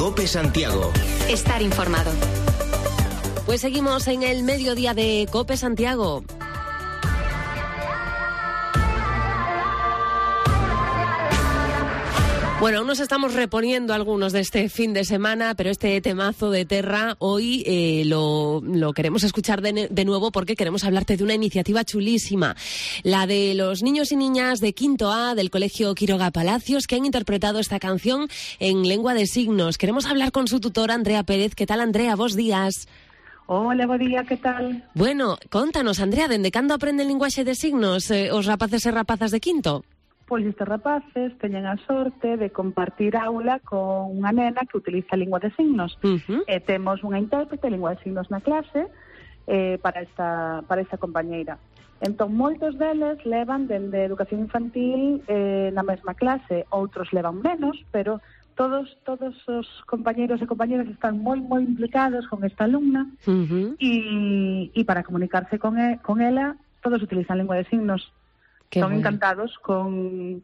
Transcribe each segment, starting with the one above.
COPE Santiago. Estar informado. Pues seguimos en el mediodía de COPE Santiago. Bueno, aún nos estamos reponiendo algunos de este fin de semana, pero este temazo de Terra hoy lo queremos escuchar de nuevo porque queremos hablarte de una iniciativa chulísima, la de los niños y niñas de quinto A del Colegio Quiroga Palacios que han interpretado esta canción en lengua de signos. Queremos hablar con su tutora, Andrea Pérez. ¿Qué tal, Andrea? Bos días. Hola, bo día, que tal? Bueno, contanos, Andrea, dende cando aprenden linguaxe de signos os rapaces e rapazas de quinto? Pois estes rapaces teñen a sorte de compartir aula con unha nena que utiliza a lingua de signos. Temos unha intérprete de lingua de signos na clase para esta compañeira. Entón, moitos deles levan dende educación infantil na mesma clase, outros levan menos, pero todos os compañeiros e compañeras están moi implicados con esta alumna e para comunicarse con ela todos utilizan lingua de signos. Son encantados con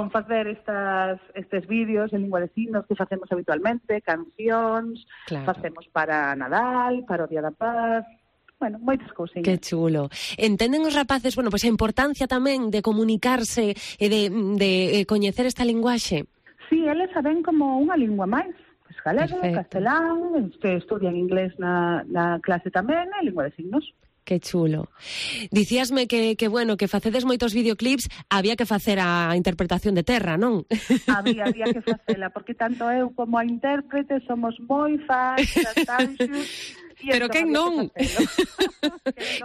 facer estes vídeos en lingua de signos que facemos habitualmente, cancións, facemos para Nadal, para o Día da Paz, bueno, moitas cousiñas. Que chulo. Entenden os rapaces, bueno, pois a importancia tamén de comunicarse e de coñecer esta linguaxe? Sí, eles saben como unha lingua máis. Pois galego, castelán, estudian inglés na clase tamén, e lingua de signos. Que chulo. Dicíasme que bueno, que facedes moitos videoclips, había que facer a interpretación de Terra, non? Había que facela, porque tanto eu como a intérprete somos moi fans das Tanxus. Pero quen non?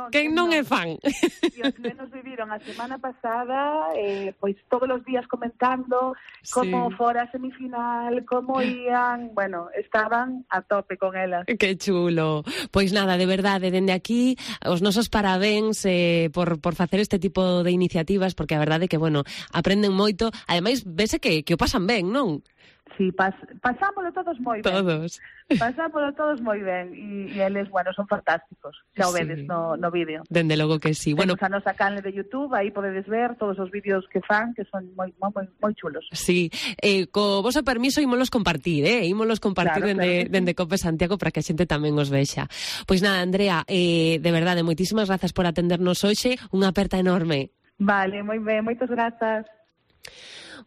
Quen non é fan? E os nenos viviron a semana pasada pois todos os días comentando como fora a semifinal, como ían, bueno, estaban a tope con elas. Que chulo. Pois nada, de verdade, dende aquí os nosos parabéns por facer este tipo de iniciativas, porque a verdade é que, bueno, aprenden moito, ademais vese que o pasan ben, non? Sí, pasámoslo todos moi ben. Pasámoslo todos moi ben e eles, bueno, son fantásticos. Xa o vedes no vídeo. Dende logo que sí. Temos a nosa canle de YouTube, aí podedes ver todos os vídeos que fan, que son moi chulos. Sí, co voso permiso ímolos compartir, ímolos compartir dende COPE Santiago para que a xente tamén os vexa. Pois nada, Andrea, de verdade, moitísimas grazas por atendernos hoxe, unha aperta enorme. Vale, moi ben, moitas grazas.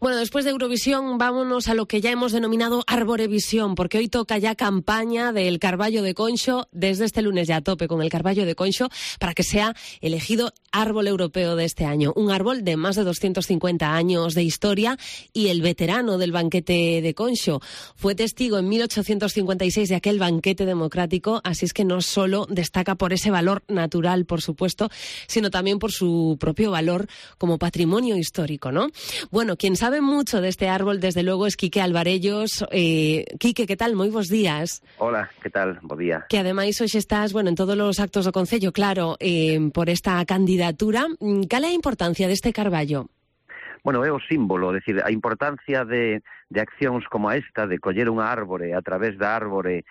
Bueno, después de Eurovisión, vámonos a lo que ya hemos denominado Arborevisión, porque hoy toca ya campaña del Carballo de Conxo, desde este lunes ya a tope con el Carballo de Conxo, para que sea elegido árbol europeo de este año. Un árbol de más de 250 años de historia y el veterano del banquete de Conxo. Fue testigo en 1856 de aquel banquete democrático, así es que no solo destaca por ese valor natural, por supuesto, sino también por su propio valor como patrimonio histórico, ¿no? Bueno, quien sabe mucho de este árbol, desde luego, es Quique Alvarellos. Quique, ¿qué tal? Moi bos días. Hola, ¿qué tal? Bo día. Que ademais hoxe estás, bueno, en todos os actos do Concello, claro, por esta candidatura. Cal é a importancia deste carballo? Bueno, é o símbolo, é dicir, a importancia de accións como esta, de coller unha árbore, a través da árbore,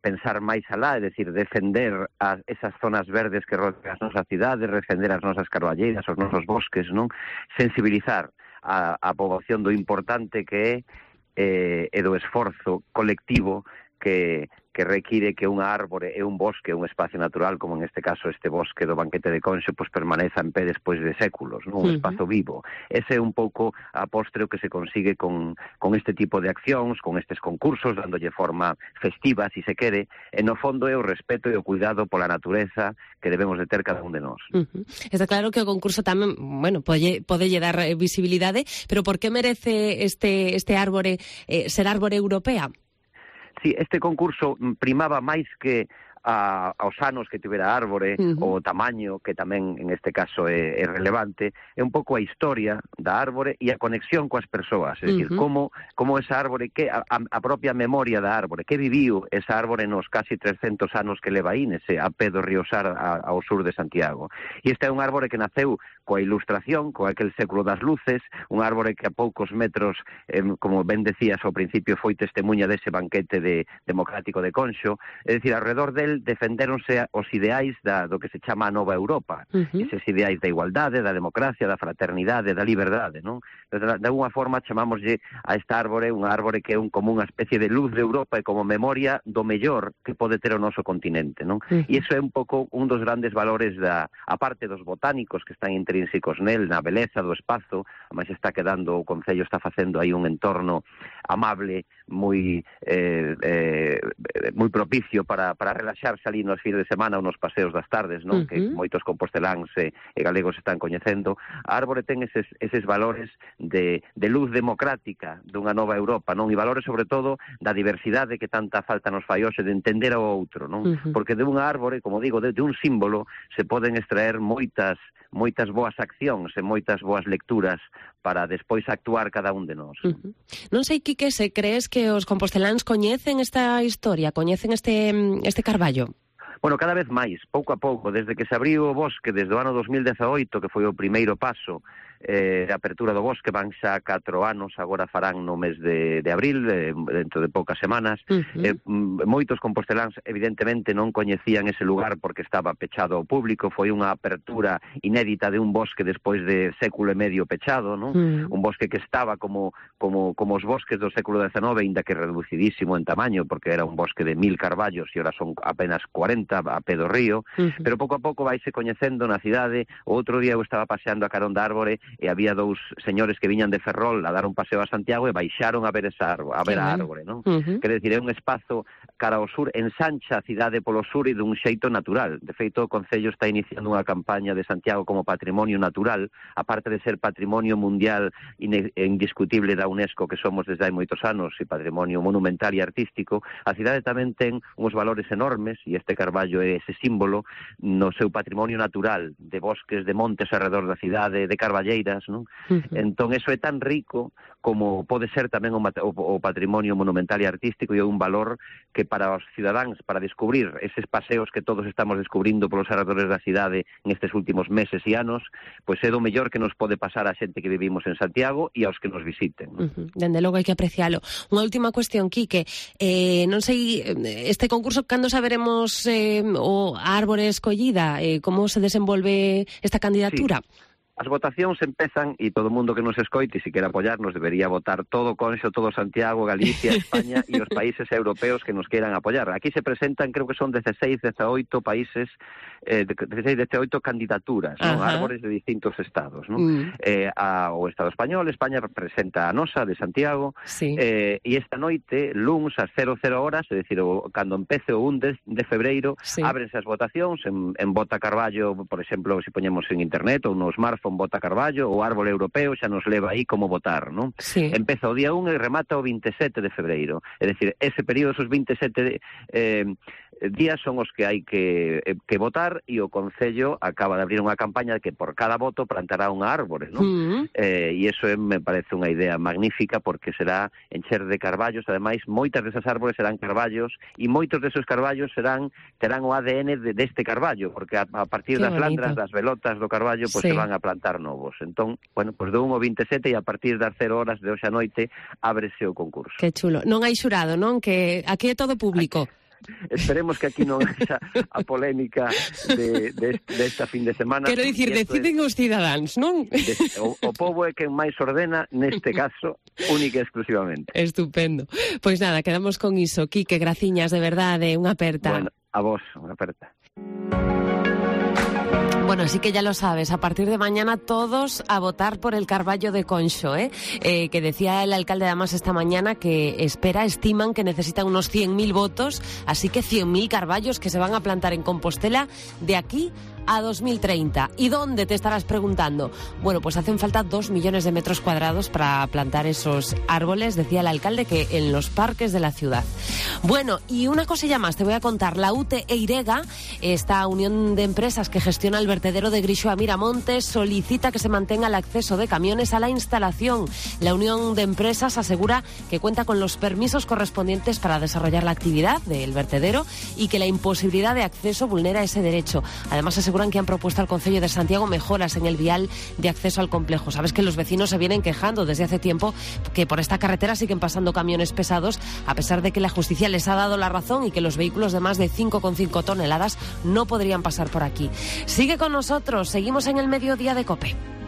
pensar máis alá, é dicir, defender esas zonas verdes que rodean as nosas cidades, defender as nosas carballeiras, os nosos bosques, non? Sensibilizar a poboación do importante que é e do esforzo colectivo que require que unha árbore e un bosque, un espacio natural, como en este caso este bosque do banquete de Conxo, pues permaneza en pé despois de séculos, non? Un espazo vivo. Ese é un pouco a postre o que se consigue con este tipo de accións, con estes concursos, dándolle forma festiva, si se quere, e no fondo é o respeto e o cuidado pola natureza que debemos de ter cada un de nós. Está claro que o concurso tamén, bueno, podelle dar visibilidade, pero por que merece este árbore ser árbore europea? Sí, este concurso primaba máis que aos anos que tivera a árbore, o tamaño, que tamén en este caso é relevante, é un pouco a historia da árbore e a conexión coas persoas, é dicir, como esa árbore, que a propia memoria da árbore, que viviu esa árbore nos casi 300 anos que leva aí nese a pé do río Sar ao sur de Santiago. E esta é un árbore que naceu coa ilustración, co aquel século das luces, un árbore que a poucos metros, como ben decías ao principio, foi testemunha dese banquete democrático de Conxo, é dicir, alrededor del nel defenderonse os ideais do que se chama a nova Europa, eses ideais da igualdade, da democracia, da fraternidade, da liberdade, non? De alguna forma chamámoslle a esta árbore unha árbore que é como unha especie de luz de Europa e como memoria do mellor que pode ter o noso continente, non? E iso é un pouco un dos grandes valores a parte dos botánicos que están intrínsecos nel, na beleza do espazo, ademais está quedando, o Concello está facendo aí un entorno amable, moi propicio para relaxarse ali nos fines de semana ou nos paseos das tardes, non? Que moitos composteláns e galegos están coñecendo. A árbore ten eses valores de luz democrática dunha nova Europa, non? E valores sobre todo da diversidade que tanta falta nos fai hoxe de entender ao outro, non? Porque de unha árbore, como digo, de un símbolo se poden extraer moitas boas accións e moitas boas lecturas para despois actuar cada un de nós. Non sei, Quique, se crees que os composteláns coñecen esta historia, coñecen este carballo? Bueno, cada vez máis, pouco a pouco, desde que se abriu o bosque desde o ano 2018, que foi o primeiro paso de apertura do bosque, van xa 4 anos, agora farán no mes de abril, dentro de poucas semanas. Moitos composteláns evidentemente non coñecían ese lugar porque estaba pechado ao público, foi unha apertura inédita de un bosque despois de século e medio pechado, non? Un bosque que estaba como os bosques do século XIX, ainda que reducidísimo en tamaño, porque era un bosque de 1000 carballos e ahora son apenas 40 a pé do río, pero pouco a pouco vaise coñecendo na cidade. O outro día eu estaba paseando a carón da árbore e había 2 señores que viñan de Ferrol a dar un paseo a Santiago e baixaron a ver a árbore, non? Quer decir, é un espazo cara ao sur, ensancha a cidade polo sur e dun xeito natural. De feito, o Concello está iniciando unha campaña de Santiago como patrimonio natural, aparte de ser patrimonio mundial indiscutible da UNESCO, que somos desde hai moitos anos, e patrimonio monumental e artístico. A cidade tamén ten uns valores enormes, e este carballo é ese símbolo no seu patrimonio natural, de bosques, de montes alrededor da cidade, de carballeiras, non? Entón, eso é tan rico como pode ser tamén o patrimonio monumental e artístico, e é un valor que para os cidadáns, para descubrir eses paseos que todos estamos descubrindo polos alrededores da cidade nestes últimos meses e anos, pois é do mellor que nos pode pasar a xente que vivimos en Santiago e aos que nos visiten. Dende logo hai que aprecialo. Unha última cuestión, Quique, non sei, este concurso, cando saberemos o árbore escollida, como se desenvolve esta candidatura? Sí. As votacións empezan e todo o mundo que nos escoite, se quer apoiarnos, debería votar todo Conxo, todo Santiago, Galicia, España e os países europeos que nos queiran apoiar. Aquí se presentan, creo que son 16, 18 países, 16, 18 candidaturas, non? Árbores de distintos estados, non? O Estado español, España presenta a nosa de Santiago, e esta noite, luns, ás 00 horas, é dicir, cando empece o 1 de febreiro, ábrense as votacións en Vota Carballo, por exemplo, se poñemos en internet ou no smartphone, Vota Carballo, o árbol europeo xa nos leva aí como votar, non? Empeza o día 1 e remata o 27 de febreiro. É dicir, ese período, esos 27 días son os que hai que votar, e o Concello acaba de abrir unha campaña de que por cada voto plantará unha árbore, non? E iso me parece unha idea magnífica, porque será encher de carballos. Ademais, moitas desas árbores serán carballos, e moitos desos carballos terán o ADN deste carballo, porque a partir das landras, das velotas do carballo, pois se van a plantar novos. Entón, bueno, pois do 1 ao 27, e a partir das 0 horas de hoxe a noite ábrese o concurso. Que chulo. Non hai xurado, non? Que aquí é todo público. Esperemos que aquí non haxa a polémica desta fin de semana. Quero dicir, deciden os cidadáns, non? O pobo é quen máis ordena, neste caso, única e exclusivamente. Estupendo. Pois nada, quedamos con iso. Quique, graciñas, de verdade, unha aperta. Bueno, a vos, unha aperta. Bueno, así que ya lo sabes, a partir de mañana todos a votar por el Carballo de Conxo, que decía el alcalde además esta mañana que estiman que necesitan unos 100.000 votos, así que 100.000 carballos que se van a plantar en Compostela de aquí a 2030. ¿Y dónde, te estarás preguntando? Bueno, pues hacen falta 2 millones de metros cuadrados para plantar esos árboles, decía el alcalde, que en los parques de la ciudad. Bueno, y una cosilla más te voy a contar. La UTE Eirega, esta unión de empresas que gestiona el vertedero de Grixo a Miramontes, solicita que se mantenga el acceso de camiones a la instalación. La unión de empresas asegura que cuenta con los permisos correspondientes para desarrollar la actividad del vertedero y que la imposibilidad de acceso vulnera ese derecho. Además, asegura aseguran que han propuesto al Concello de Santiago mejoras en el vial de acceso al complejo. Sabes que los vecinos se vienen quejando desde hace tiempo que por esta carretera siguen pasando camiones pesados, a pesar de que la justicia les ha dado la razón y que los vehículos de más de 5,5 toneladas no podrían pasar por aquí. Sigue con nosotros, seguimos en el Mediodía de COPE.